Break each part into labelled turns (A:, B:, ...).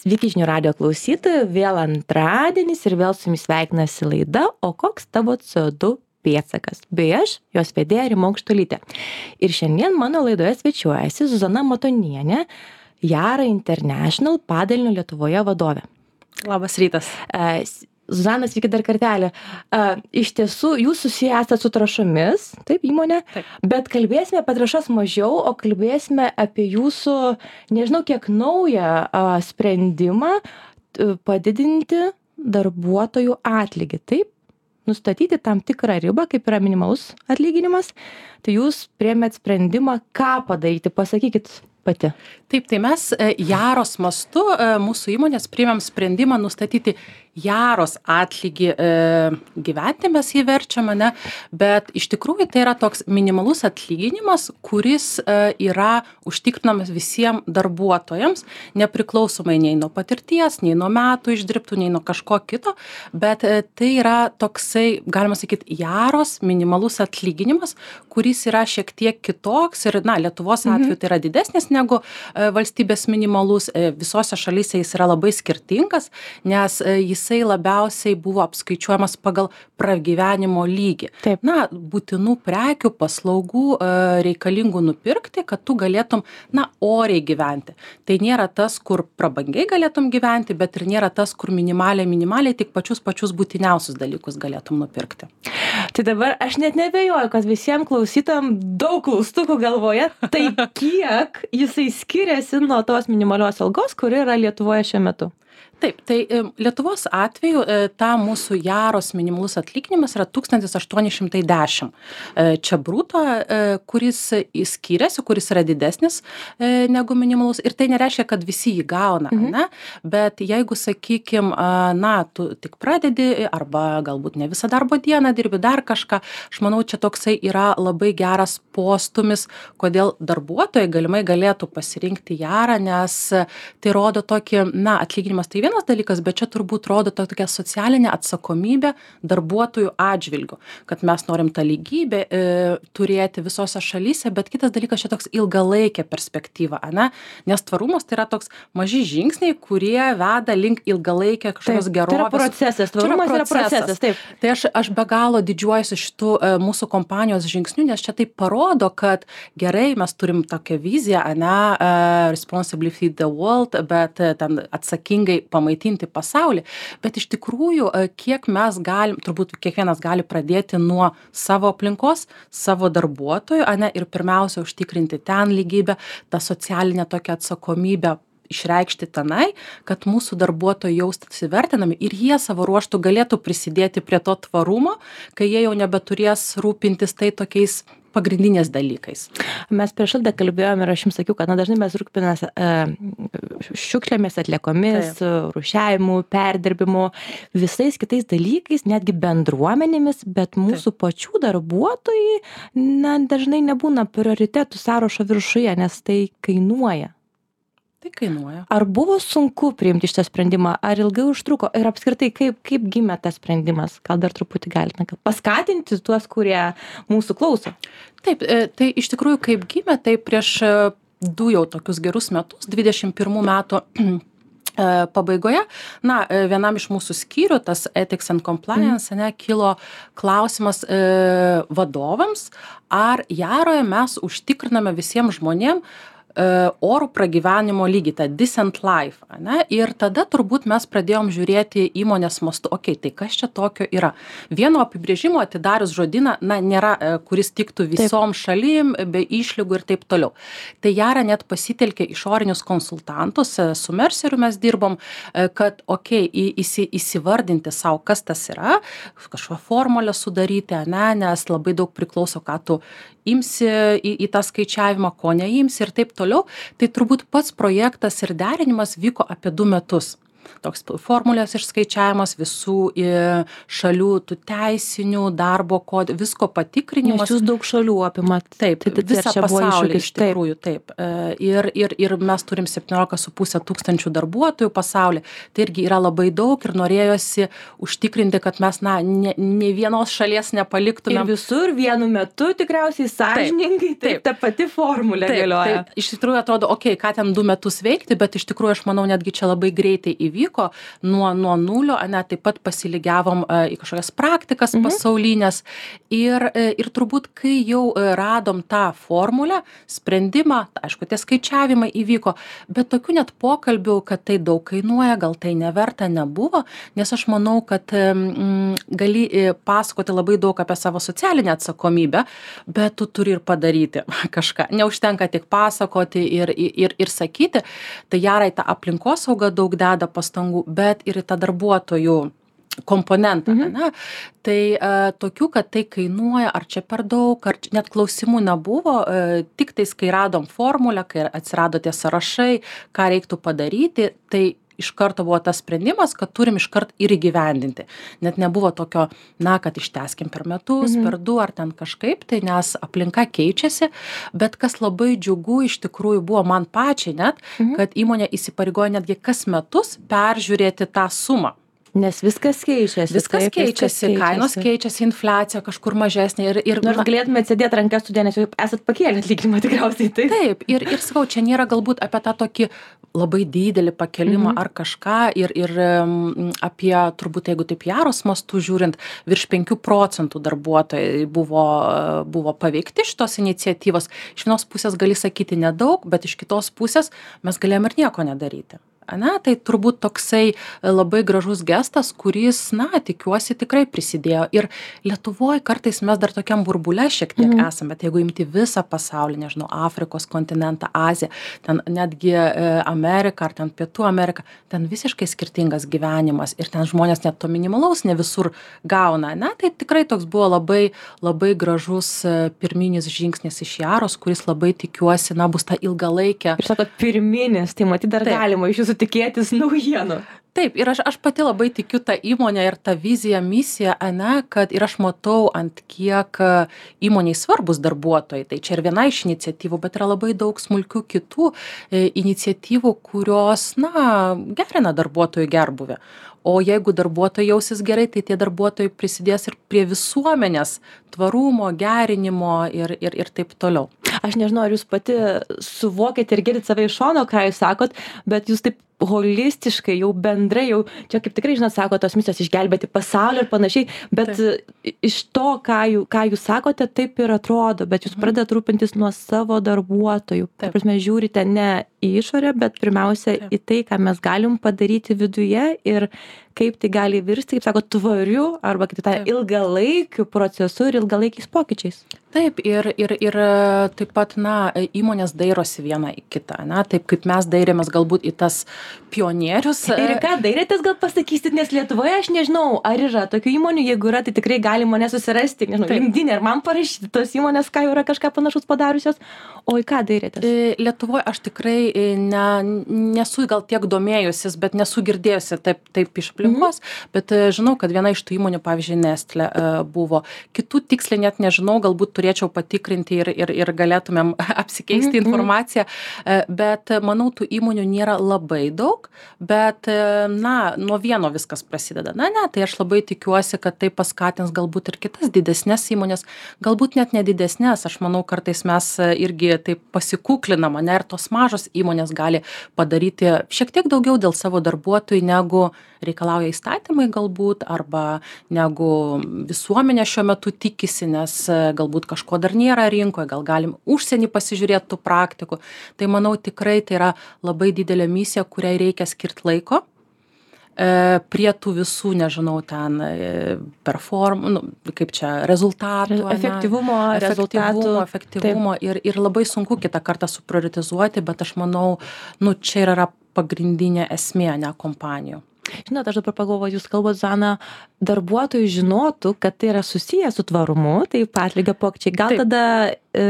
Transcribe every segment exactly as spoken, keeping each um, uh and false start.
A: Sveiki žinių radio klausytojai, vėl antradienis ir vėl su jumis sveikinasi laida O koks tavo C O du pėdsakas? Bei aš, jos vedėja Rima Aukštuolytė. Ir šiandien mano laidoje svečiuojasi Zuzana Matonienė, Yara International padalinio Lietuvoje vadovė.
B: Labas rytas.
A: Uh, Zuzana, sveiki dar kartelį. Uh, iš tiesų, jūs susiję esate su trąšomis, taip, įmonė,
B: taip.
A: Bet kalbėsime apie trąšas mažiau, o kalbėsime apie jūsų, nežinau, kiek naują uh, sprendimą uh, padidinti darbuotojų atlygį, taip? Nustatyti tam tikrą ribą, kaip yra minimalus atlyginimas, tai jūs priėmėt sprendimą, ką padaryti, pasakykit pati.
B: Taip, tai mes Yaros mastu mūsų įmonės priėmėm sprendimą nustatyti Yaros atlygį e, gyventi, mes jį verčiam, ne, bet iš tikrųjų tai yra toks minimalus atlyginimas, kuris e, yra užtikrinamas visiems darbuotojams, nepriklausomai nei nuo patirties, nei nuo metų išdirbtų, nei nuo kažko kito, bet e, tai yra toksai, galima sakyti, Yaros minimalus atlyginimas, kuris yra šiek tiek kitoks ir, na, Lietuvos atveju tai yra didesnis negu e, valstybės minimalus, e, visose šalyse jis yra labai skirtingas, nes e, jis jisai labiausiai buvo apskaičiuojamas pagal pragyvenimo lygį.
A: Taip.
B: Na, būtinų prekių, paslaugų e, reikalingų nupirkti, kad tu galėtum, na, oriai gyventi. Tai nėra tas, kur prabangiai galėtum gyventi, bet ir nėra tas, kur minimaliai, minimaliai tik pačius pačius būtiniausius dalykus galėtum nupirkti.
A: Tai dabar aš net nebejoju, kad visiems klausytam daug klaustukų galvoje, tai kiek jisai skiriasi nuo tos minimalios algos, kuri yra Lietuvoje šiuo metu?
B: Taip, tai Lietuvos atveju ta mūsų Yaros minimalus atlyginimas yra tūkstantis aštuoni šimtai dešimt. Čia bruto, kuris skiriasi, kuris yra didesnis negu minimalus. Ir tai nereiškia, kad visi jį gauna, mhm. ne? Bet jeigu, sakykim, na, tu tik pradedi arba galbūt ne visą darbo dieną dirbi dar kažką, aš manau, čia toksai yra labai geras postumis, kodėl darbuotojai galimai galėtų pasirinkti Yarą, nes tai rodo tokį, na, atlyginimas tai vienas dalykas, bet čia turbūt rodo to tokia socialinė atsakomybė darbuotojų atžvilgiu, kad mes norim tą lygybę e, turėti visose šalyse, bet kitas dalykas čia toks ilgalaikė perspektyva, ane? Nes tvarumas tai yra toks maži žingsniai, kurie veda link ilgalaikė kažkokios gerovės.
A: Tai yra procesas, tvarumas yra procesas. yra procesas, taip.
B: Tai aš, aš be galo didžiuojuosi šitų e, mūsų kompanijos žingsnių, nes čia tai parodo, kad gerai, mes turim tokią viziją, ane, uh, responsibly feed the world, bet uh, ten atsakingai pamaitinti pasaulį, bet iš tikrųjų, kiek mes galim, turbūt kiekvienas gali pradėti nuo savo aplinkos, savo darbuotojų, ane, ir pirmiausia užtikrinti ten lygybę, tą socialinę tokią atsakomybę išreikšti tenai, kad mūsų darbuotojai jaustųsi vertinami ir jie savo ruožtų galėtų prisidėti prie to tvarumo, kai jie jau nebeturės rūpintis tai tokiais pagrindinės dalykais.
A: Mes prieš laidą kalbėjome ir aš jums sakiau, kad na, dažnai mes rūpinamės e, šiukšlėmis, atliekomis, rūšiavimu, perdirbimu, visais kitais dalykais, netgi bendruomenėmis, bet mūsų Taip. pačių darbuotojai na, dažnai nebūna prioritetų sąrašo viršuje, nes tai kainuoja.
B: Tai kainuoja.
A: Ar buvo sunku priimti šitą sprendimą, ar ilgai užtruko ir apskritai kaip, kaip gimė tas sprendimas? Gal dar truputį galite paskatinti tuos, kurie mūsų klauso?
B: Taip, tai iš tikrųjų kaip gimė, tai prieš du jau tokius gerus metus, dvidešimt pirmų metų pabaigoje, na, vienam iš mūsų skyrių, tas Ethics and Compliance, mm. ne, kilo klausimas e, vadovams, ar Yaroje mes užtikriname visiems žmonėms orų pragyvenimo lygį, tą decent life, ne? Ir tada turbūt mes pradėjom žiūrėti įmonės mastu, okei, okay, tai kas čia tokio yra. Vieno apibrėžimo atidarius žodyną, na, nėra, kuris tiktų visom taip. šalim, be išlygų ir taip toliau. Tai Yara net pasitelkė išorinius konsultantus, su Merceriu mes dirbom, kad, okei, okay, įsi, įsivardinti savo, kas tas yra, kažkokią formulę sudaryti, ne? Nes labai daug priklauso, ką tu imsi į, į tą skaičiavimą, ko neimsi ir taip toliau. Tai turbūt pats projektas ir derinimas vyko apie du metus. toks formulės išskaičiavimas, visų e, šalių tų teisinių, darbo kodų, visko patikrinimas.
A: Nes jūs daug šalių apimat.
B: Taip,
A: tai, tai,
B: visą pasaulį iš
A: taip.
B: tikrųjų, taip. E, ir, ir, ir mes turim septyniolika su puse tūkstančių darbuotojų pasaulyje. Tai irgi yra labai daug ir norėjosi užtikrinti, kad mes, na, ne, ne vienos šalies nepaliktume.
A: Ir visur vienu metu tikriausiai sąžiningai, taip, taip, ta pati formulė taip, galioja.
B: Taip, iš tikrųjų atrodo, okei, okay, ką ten du metus veikti, bet iš tikrųjų aš manau netgi čia labai greitai įvyko nuo, nuo nulio, ne, taip pat pasilygiavom e, į kažkokias praktikas mhm. pasaulinės ir, e, ir turbūt, kai jau radom tą formulę, sprendimą, aišku, tie skaičiavimai įvyko, bet tokių net pokalbių, kad tai daug kainuoja, gal tai neverta nebuvo, nes aš manau, kad mm, gali pasakoti labai daug apie savo socialinę atsakomybę, bet tu turi ir padaryti kažką. Neužtenka tik pasakoti ir, ir, ir sakyti. Tai gerai, ta aplinkosauga daug deda pastangų, bet ir į tą darbuotojų komponentą. Mhm. Ne? Tai uh, tokių, kad tai kainuoja, ar čia per daug, ar čia, net klausimų nebuvo, uh, tik tais, kai radom formulę, kai atsirado tie sąrašai, ką reiktų padaryti, tai iš karto buvo tas sprendimas, kad turim iš karto ir įgyvendinti. Net nebuvo tokio, na, kad išteskim per metus, mhm. per du ar ten kažkaip, tai nes aplinka keičiasi, bet kas labai džiugu iš tikrųjų buvo man pačiai net, mhm. kad įmonė įsipareigojo netgi kas metus peržiūrėti tą sumą.
A: Nes viskas keičiasi.
B: Viskas
A: taip,
B: keičiasi,
A: viskas keičiasi,
B: kainos keičiasi, infliacija kažkur mažesnė. Ir, ir,
A: Nors galėtumėte sėdėti rankas studė, nes jau esat pakėlę atlyginimą tikriausiai. Taip,
B: taip ir, ir sakau, čia nėra galbūt apie tą tokį labai didelį pakelimą mhm. ar kažką ir, ir um, apie, turbūt, jeigu taip jaros mastų žiūrint, virš penkių procentų darbuotojai buvo, buvo paveikti šitos iniciatyvos. Iš vienos pusės gali sakyti nedaug, bet iš kitos pusės mes galėjom ir nieko nedaryti. Ane, tai turbūt toksai labai gražus gestas, kuris, na, tikiuosi, tikrai prisidėjo. Ir Lietuvoje kartais mes dar tokiam burbule šiek tiek mm. esame, bet jeigu imti visą pasaulį, nežinau, Afrikos kontinentą, Aziją, ten netgi e, Ameriką ar ten Pietų Ameriką, ten visiškai skirtingas gyvenimas ir ten žmonės net to minimalaus ne visur gauna. Ne? Tai tikrai toks buvo labai, labai gražus e, pirminis žingsnis iš Jaros, kuris labai tikiuosi, na, bus ta ilgalaikė.
A: Ir sakot, pirminis, tai matyt dar Taip. Galima iš jūsų tikėtis naujienų.
B: Taip, ir aš, aš pati labai tikiu tą įmonę ir tą viziją, misiją, ane, kad ir aš matau, ant kiek įmoniai svarbus darbuotojai. Tai čia ir viena iš iniciatyvų, bet yra labai daug smulkių kitų e, iniciatyvų, kurios, na, gerina darbuotojų gerbuvę. O jeigu darbuotojai jausis gerai, tai tie darbuotojai prisidės ir prie visuomenės tvarumo, gerinimo ir, ir, ir taip toliau.
A: Aš nežinau, ar jūs pati suvokėte ir girdite save iš šono, ką jūs sakot, bet jūs taip holistiškai, jau bendrai, jau čia kaip tikrai, žinot, sako tos misijos išgelbėti pasaulį ir panašiai, bet taip. Iš to, ką, jų, ką jūs sakote, taip ir atrodo, bet jūs pradedat rūpintis nuo savo darbuotojų. Taip, prasme, žiūrite ne į išorę, bet pirmiausia taip. Į tai, ką mes galim padaryti viduje ir kaip tai gali virsti, kaip sako, tvariu arba kaip tai ilgalaikiu procesu ir ilgalaikiais pokyčiais.
B: Taip, ir, ir, ir taip pat, na, įmonės dairosi viena į kitą, na, taip kaip mes dairėmės galbūt į tas pionierius.
A: Ir ką dairėtės, gal pasakysit, nes Lietuvoje aš nežinau, ar yra tokių įmonių, jeigu yra, tai tikrai gali mane susirasti, nežinau, LinkedIn ir man parašyti tos įmonės, ką jau yra kažką panašus padariusios, o į ką dairėtės?
B: Lietuvoje aš tikrai ne, nesu gal tiek domėjusis, bet nesu girdėjusi taip, taip iš aplinkos, mm-hmm. bet žinau, kad viena iš tų įmonių, pavyzdžiui, Nestlé buvo. Kitų tiksliai net nežinau, galbūt turėčiau patikrinti ir, ir, ir galėtumėm apsikeisti mm-hmm. informaciją, bet manau, tų įmonių nėra labai daug, bet, na, nuo vieno viskas prasideda. Na, ne, tai aš labai tikiuosi, kad tai paskatins galbūt ir kitas didesnės įmonės, galbūt net nedidesnės. Aš manau, kartais mes irgi taip pasikuklinam, ne, ir tos mažos įmonės gali padaryti šiek tiek daugiau dėl savo darbuotojų, negu reikalauja įstatymai galbūt, arba negu visuomenė šiuo metu tikisi, nes galbūt kažko dar nėra rinkoje, gal galim užsienį pasižiūrėti tų praktikų. Tai manau, tikrai tai yra labai didelė misija, kuriai reikia skirti laiko e, prie tų visų, nežinau, ten e, perform, nu, kaip čia, rezultatų.
A: Efektyvumo,
B: rezultatų, efektyvumo ir, ir labai sunku kitą kartą suprioritizuoti, bet aš manau, nu, čia yra pagrindinė esmė, ne kompanijų.
A: Žinot, aš dabar pagalvoju, jūs kalbate, Zana, darbuotojai žinotų, kad tai yra susiję su tvarumu, tai atlygio pokyčiai. Gal Taip. tada e,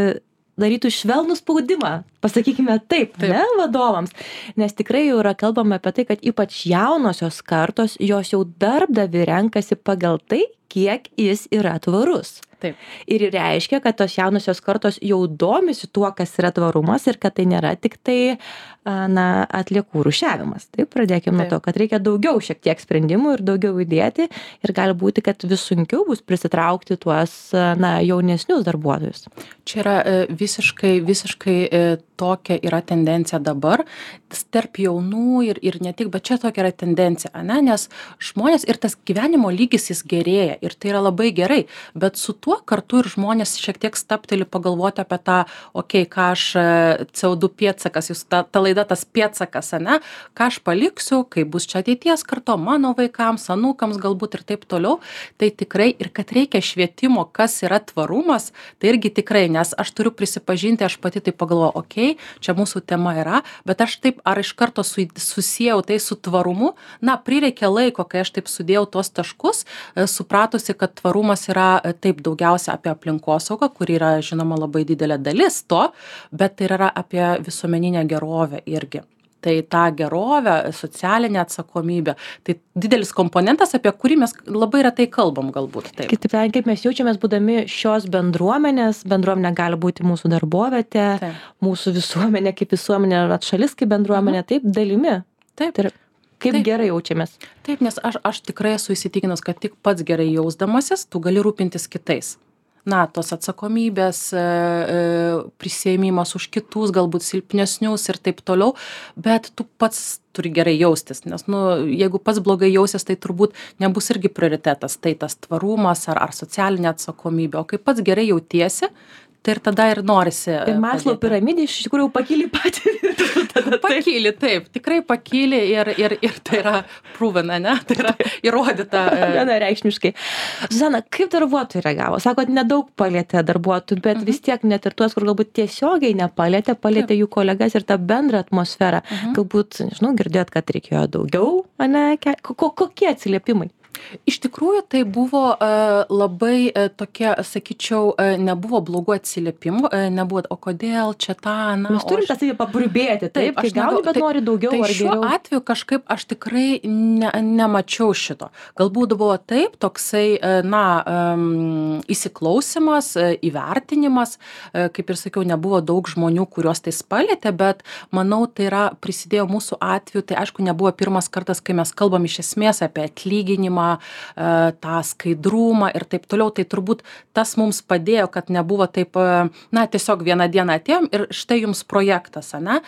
A: darytų švelnų spaudimą, pasakykime taip, taip. Ne, vadovams. Nes tikrai jau yra kalbama apie tai, kad ypač jaunosios kartos, jos jau darbdavi renkasi pagal tai, kiek jis yra tvarus.
B: Taip.
A: Ir reiškia, kad tos jaunosios kartos jau domisi tuo, kas yra tvarumas ir kad tai nėra tik tai na, atliekų rūšiavimas. Taip, pradėkime nuo to, kad reikia daugiau šiek tiek sprendimų ir daugiau įdėti ir gali būti, kad vis sunkiau bus prisitraukti tuos na, jaunesnius darbuotojus.
B: Čia yra visiškai, visiškai tokia yra tendencija dabar, tarp jaunų ir, ir ne tik, bet čia tokia yra tendencija, ne? Nes žmonės ir tas gyvenimo lygis jis gerėja ir tai yra labai gerai, bet su tuo kartu ir žmonės šiek tiek stapteli pagalvoti apie tą, okei, okay, ką aš C O du pėdsakas, jūs ta, ta laida tas pėdsakas, ne? Ką aš paliksiu, kaip bus čia ateities karto, mano vaikams, anūkams galbūt ir taip toliau, tai tikrai ir kad reikia švietimo, kas yra tvarumas, tai irgi tikrai, nes aš turiu prisipažinti, aš pati taip pagalvoju, okei, okay, čia mūsų tema yra, bet aš taip ar iš karto su, susijau tai su tvarumu, na, prireikė laiko, kai aš taip sudėjau tuos taškus, supratusi, kad tvarumas yra taip daugiausia apie aplinkosaugą, kur yra, žinoma, labai didelė dalis to, bet tai yra apie visuomeninę gerovę irgi. Tai tą gerovę, socialinę atsakomybę, tai didelis komponentas, apie kurį mes labai retai kalbam galbūt. Taip.
A: Kitaip tariant, kaip mes jaučiamės būdami šios bendruomenės, bendruomenė gali būti mūsų darbovietė, taip. Mūsų visuomenė kaip visuomenė, šalis kaip bendruomenė, mhm. taip, dalimi.
B: Taip.
A: Tai kaip
B: taip.
A: Gerai jaučiamės.
B: Taip, nes aš, aš tikrai esu įsitikinus, kad tik pats gerai jausdamasis, tu gali rūpintis kitais. Na, tos atsakomybės, prisiėmimas už kitus, galbūt silpnesnius ir taip toliau, bet tu pats turi gerai jaustis, nes, nu, jeigu pats blogai jausies, tai turbūt nebus irgi prioritetas, tai tas tvarumas ar, ar socialinė atsakomybė, o kai pats gerai jautiesi, tai ir tada ir norisi.
A: Ir Maslow piramidė iš tikrųjų pakyli patį.
B: Pakyli, taip, tikrai pakyli ir, ir, ir tai yra pruvena, ne? Tai yra įrodyta.
A: Vienareikšmiškai. Zuzana, kaip darbuotojai reagavo? Sakot, nedaug palėtė darbuotojų, bet mhm. vis tiek net ir tuos, kur galbūt tiesiogiai nepalėtė, palėtė taip. Jų kolegas ir tą bendrą atmosferą. Mhm. Galbūt, nežinau, girdėt, kad reikėjo daugiau, ne? Kokie atsiliepimai?
B: Iš tikrųjų, tai buvo uh, labai uh, tokie, sakyčiau, uh, nebuvo blogų atsiliepimų, uh, nebuvo, o kodėl čia tą, na...
A: Mes turim tą savį paburbėti, taip, kai gauni, bet
B: tai,
A: nori daugiau
B: tai
A: ar geriau.
B: Tai šiuo atveju kažkaip aš tikrai ne, nemačiau šito. Galbūt buvo taip, toksai, uh, na, um, įsiklausimas, uh, įvertinimas, uh, kaip ir sakiau, nebuvo daug žmonių, kuriuos tai spalėtė, bet manau, tai yra prisidėjo mūsų atveju, tai aišku, nebuvo pirmas kartas, kai mes kalbam iš esmės apie atlyginimą, tą skaidrumą ir taip toliau, tai turbūt tas mums padėjo, kad nebuvo taip, na, tiesiog vieną dieną atėjom ir štai jums projektas, ne?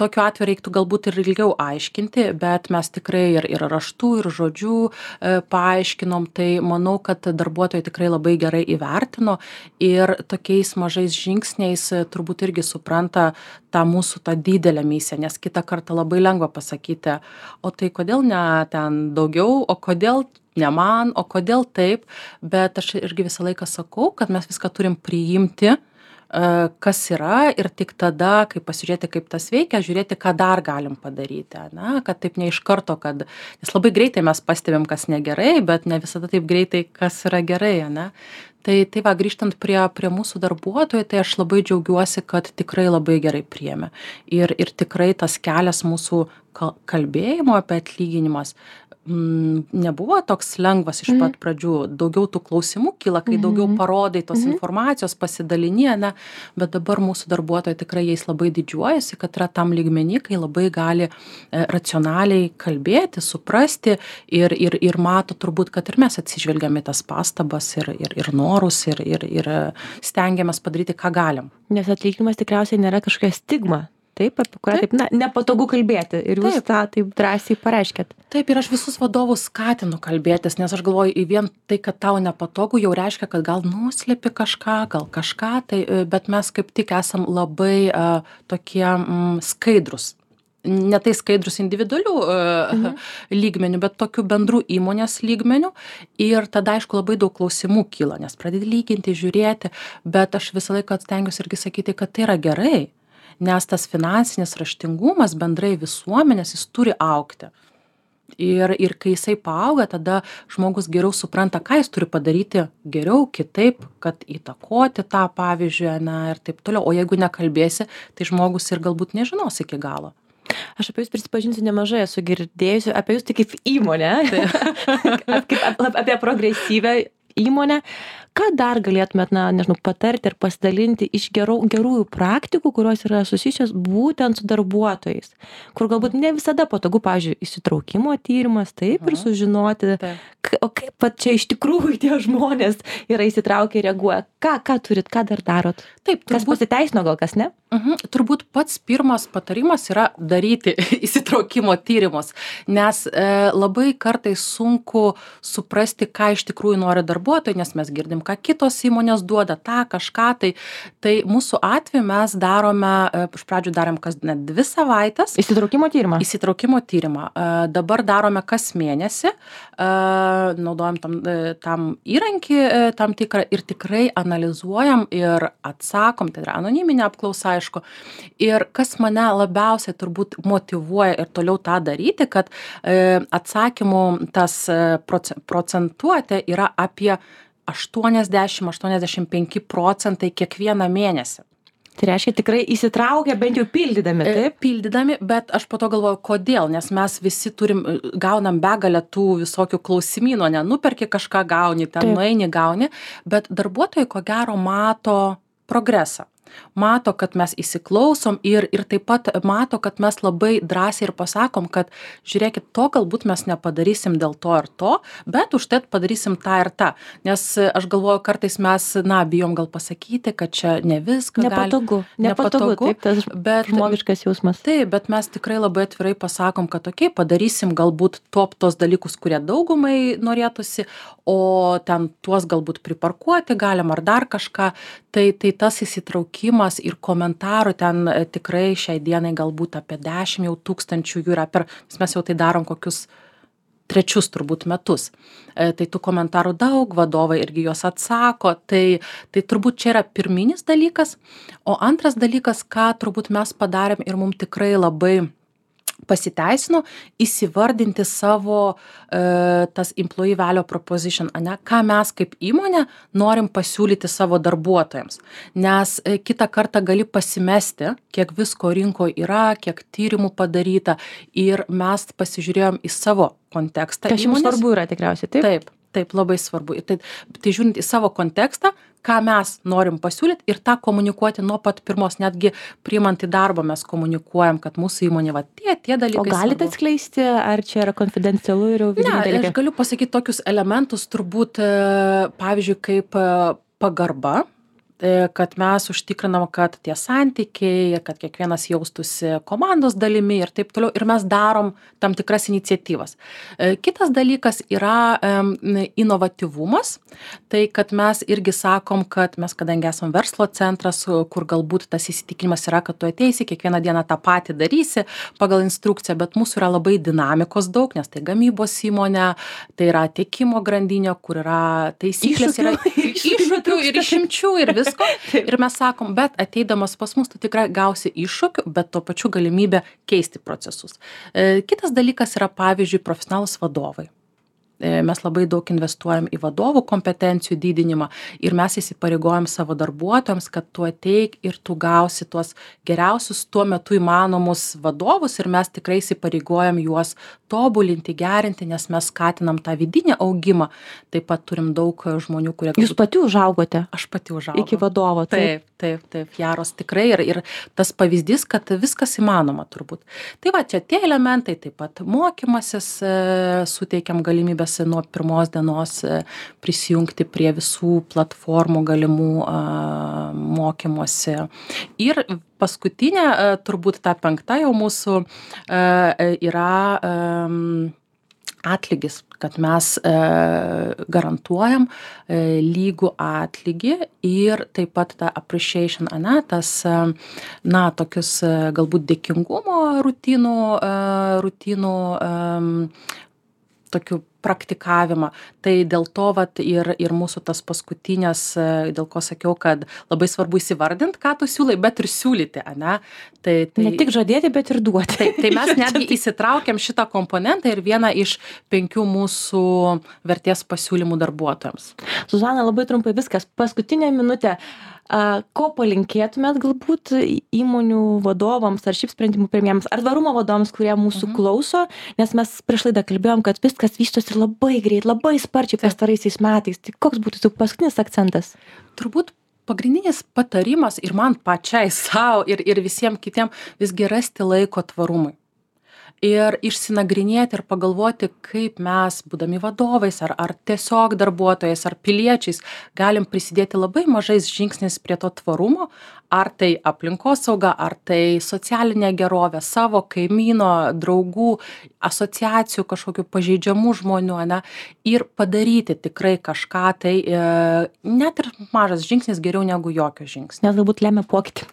B: Tokiu atveju reiktų galbūt ir ilgiau aiškinti, bet mes tikrai ir, ir raštų, ir žodžių paaiškinom, tai manau, kad darbuotojai tikrai labai gerai įvertino ir tokiais mažais žingsniais turbūt irgi supranta tą mūsų tą didelę misiją, nes kitą kartą labai lengva pasakyti, o tai kodėl ne ten daugiau, o kodėl ne man, o kodėl taip, bet aš irgi visą laiką sakau, kad mes viską turim priimti, kas yra ir tik tada, kai pasižiūrėti, kaip tas veikia, žiūrėti, ką dar galim padaryti, na, kad taip ne iš karto, kad, nes labai greitai mes pastebim, kas negerai, bet ne visada taip greitai, kas yra gerai, ne. Tai, tai va, grįžtant prie, prie mūsų darbuotojų, tai aš labai džiaugiuosi, kad tikrai labai gerai priėmė. Ir, ir tikrai tas kelias mūsų kalbėjimo apie atlyginimas m, nebuvo toks lengvas iš pat pradžių. Daugiau tų klausimų kyla, kai daugiau parodai tos informacijos, pasidalinė, ne, bet dabar mūsų darbuotojai tikrai jais labai didžiuojasi, kad yra tam lygmenį, kai labai gali e, racionaliai kalbėti, suprasti ir, ir, ir mato turbūt, kad ir mes atsižvelgiame tas pastabas ir, ir, ir norus ir, ir, ir stengiamės padaryti, ką galim.
A: Nes atlyginimas tikriausiai nėra kažkokia stigma. Taip, apie kurią taip, na, nepatogu kalbėti ir jūs taip. Tą taip drąsiai pareiškėt.
B: Taip, ir aš visus vadovus skatinu kalbėtis, nes aš galvoju, į vien tai, kad tau nepatogu, jau reiškia, kad gal nuslėpi kažką, gal kažką, tai, bet mes kaip tik esam labai uh, tokie mm, skaidrus. Ne tai skaidrus individualių uh, mhm. lygmenių, bet tokių bendrų įmonės lygmenių. Ir tada, aišku, labai daug klausimų kyla, nes pradedi lyginti, žiūrėti, bet aš visą laiką stengiuosi irgi sakyti, kad tai yra gerai. Nes tas finansinis raštingumas bendrai visuomenės, jis turi augti. Ir, ir kai jisai paauga, tada žmogus geriau supranta, ką jis turi padaryti geriau, kitaip, kad įtakoti tą pavyzdžiui, na, ir taip toliau. O jeigu nekalbėsi, tai žmogus ir galbūt nežinos iki galo.
A: Aš apie jūs prisipažinsiu nemažai esu girdėjusi, apie jūs tai kaip įmonę, kaip apie progresyvę įmonę. Ką dar galėtumėt, na, nežinau, patarti ir pasidalinti iš gerų, gerųjų praktikų, kurios yra susijusios būtent su darbuotojais, kur galbūt ne visada patogu, pavyzdžiui, įsitraukimo tyrimas, taip, ir sužinoti, taip. O kaip pat čia iš tikrųjų tie žmonės yra įsitraukę ir reaguoja. Ką, ką turit, ką dar darot?
B: Taip,
A: turbūt... Kas pasiteisino, gal kas ne?
B: Mhm. Turbūt pats pirmas patarimas yra daryti įsitraukimo tyrimus, nes e, labai kartais sunku suprasti, ką iš tikrųjų nori darbuotojai, nes mes girdim, ką kitos įmonės duoda, tą kažką. Tai, tai mūsų atveju mes darome, iš pradžių darėm kas net dvi savaitės.
A: Įsitraukimo tyrimą?
B: Įsitraukimo tyrimą. Dabar darome kas mėnesį, naudojam tam, tam įrankį tam tikrą ir tikrai analizuojam ir atsakom, tai yra anoniminė apklausa, aišku. Ir kas mane labiausiai turbūt motyvuoja ir toliau tą daryti, kad atsakymų tas procentuotė yra apie aštuoniasdešim aštuoniasdešim penki procentai kiekvieną mėnesį.
A: Tai reiškia tikrai įsitraukia bent jau pildydami, taip?
B: Pildydami, bet aš po to galvoju, kodėl, nes mes visi turim, gaunam begalę tų visokių klausimynų, ne, nuperki kažką gauni, ten taip. Nueini gauni, bet darbuotojai ko gero mato progresą. Mato, kad mes įsiklausom ir, ir taip pat mato, kad mes labai drąsiai ir pasakom, kad žiūrėkit, to galbūt mes nepadarysim dėl to ir to, bet už tai padarysim tą ir tą. Nes aš galvoju, kartais mes, na, bijom gal pasakyti, kad čia ne viską
A: nepatogu, gali. Nepatogu, nepatogu, taip, tas bet, žmogiškas jausmas.
B: Taip, bet mes tikrai labai atvirai pasakom, kad okei, okay, padarysim galbūt top tos dalykus, kurie daugumai norėtųsi, o ten tuos galbūt priparkuoti galim ar dar kažką. Tai, tai tas įsitraukimas ir komentarų ten tikrai šiai dienai galbūt apie dešimt jau tūkstančių jų yra per, mes jau tai darom kokius trečius turbūt metus. E, tai tų komentarų daug, vadovai irgi juos atsako, tai, tai turbūt čia yra pirminis dalykas. O antras dalykas, ką turbūt mes padarėm ir mums tikrai labai pasiteisino, įsivardinti savo e, tas employee value proposition, ane, ką mes kaip įmonė norim pasiūlyti savo darbuotojams. Nes e, kitą kartą gali pasimesti, kiek visko rinkoje yra, kiek tyrimų padaryta ir mes pasižiūrėjom į savo kontekstą.
A: Kas jums svarbu yra tikriausiai, taip?
B: Taip, taip, labai svarbu. Tai, tai žiūrint į savo kontekstą, ką mes norim pasiūlyti ir tą komunikuoti nuo pat pirmos, netgi priimant į darbą mes komunikuojam, kad mūsų įmonė va tie, tie dalykai.
A: O galite svarbu. Atskleisti, ar čia yra konfidencialu ir jau vidiniai dalykai?
B: Ne, aš galiu pasakyti tokius elementus, turbūt, pavyzdžiui, kaip pagarba, kad mes užtikrinam, kad tie santykiai, kad kiekvienas jaustųsi komandos dalimi ir taip toliau. Ir mes darom tam tikras iniciatyvas. Kitas dalykas yra inovatyvumas. Tai, kad mes irgi sakom, kad mes, kadangi esam verslo centras, kur galbūt tas įsitikinimas yra, kad tu ateisi, kiekvieną dieną tą patį darysi pagal instrukciją, bet mūsų yra labai dinamikos daug, nes tai gamybos įmonė, tai yra tiekimo grandinė, kur yra taisyklės, yra iššūkių ir išimčių ir vis. Ir mes sakom, bet ateidamas pas mus tu tikrai gausi iššūkių, bet tuo pačiu galimybę keisti procesus. Kitas dalykas yra, pavyzdžiui, profesionalūs vadovai. Mes labai daug investuojam į vadovų kompetencijų didinimą ir mes įsipareigojam savo darbuotojams, kad tu ateik ir tu gausi tuos geriausius tuo metu įmanomus vadovus ir mes tikrai įsipareigojam juos tobulinti, gerinti, nes mes skatinam tą vidinį augimą. Taip pat turim daug žmonių, kurie...
A: Jūs pati užaugote?
B: Aš pati užaugau.
A: Iki vadovo,
B: taip. Taip, taip, taip, Jaros tikrai ir, ir tas pavyzdys, kad viskas įmanoma turbūt. Tai va, čia tie elementai, taip pat mokymasis, e, suteikiam galimybės nuo pirmos dienos e, prisijungti prie visų platformų galimų e, mokymosi. Ir paskutinė, e, turbūt ta penkta jau mūsų e, yra e, atlygis, kad mes e, garantuojam e, lygų atlygį ir taip pat tą appreciation, ane, tas, e, na, tokius e, galbūt dėkingumo rutinų, e, rutinų e, tokių praktikavimą. Tai dėl to vat ir, ir mūsų tas paskutinės, dėl ko sakiau, kad labai svarbu įsivardinti, ką tu siūlai, bet ir siūlyti, ane? Tai, tai,
A: ne tik žadėti, bet ir duoti.
B: Tai, tai mes netgi įsitraukiam šitą komponentą ir vieną iš penkių mūsų vertės pasiūlymų darbuotojams.
A: Zuzana, labai trumpai viskas. Paskutinė minutė. A, ko palinkėtumėt galbūt įmonių vadovams ar šiaip sprendimų priėmėjams, ar tvarumo vadovams, kurie mūsų mhm. klauso, nes mes prieš laidą kalbėjom, kad viskas vystosi labai greit, labai sparčiai pastaraisiais metais. Tai koks būtų tik paskutinis akcentas?
B: Turbūt pagrindinis patarimas ir man pačiai savo ir, ir visiems kitiem visgi rasti laiko tvarumui. Ir išsinagrinėti ir pagalvoti, kaip mes, būdami vadovais, ar, ar tiesiog darbuotojais, ar piliečiais, galim prisidėti labai mažais žingsniais prie to tvarumo, ar tai aplinkosauga, ar tai socialinė gerovė, savo kaimyno, draugų, asociacijų, kažkokių pažeidžiamų žmonių, ne, ir padaryti tikrai kažką, tai e, net ir mažas žingsnis geriau negu jokio žingsnio.
A: Nes galbūt lemia pokytį.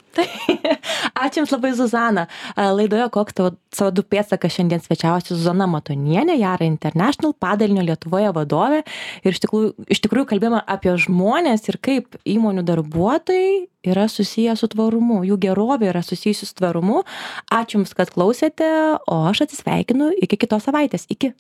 A: Ačiū Jums labai, Zuzana. Laidoje Koks tavo C O du pėdsakas šiandien svečiavosi Zuzana Matonienė, Yara International padalinio Lietuvoje vadovė. Ir iš tikrųjų, iš tikrųjų kalbėjome apie žmonės ir kaip įmonių darbuotojai yra susiję su tvarumu, jų gerovė yra susijusi su tvarumu. Ačiū Jums, kad klausėte, o aš atsisveikinu iki kitos savaitės. Iki.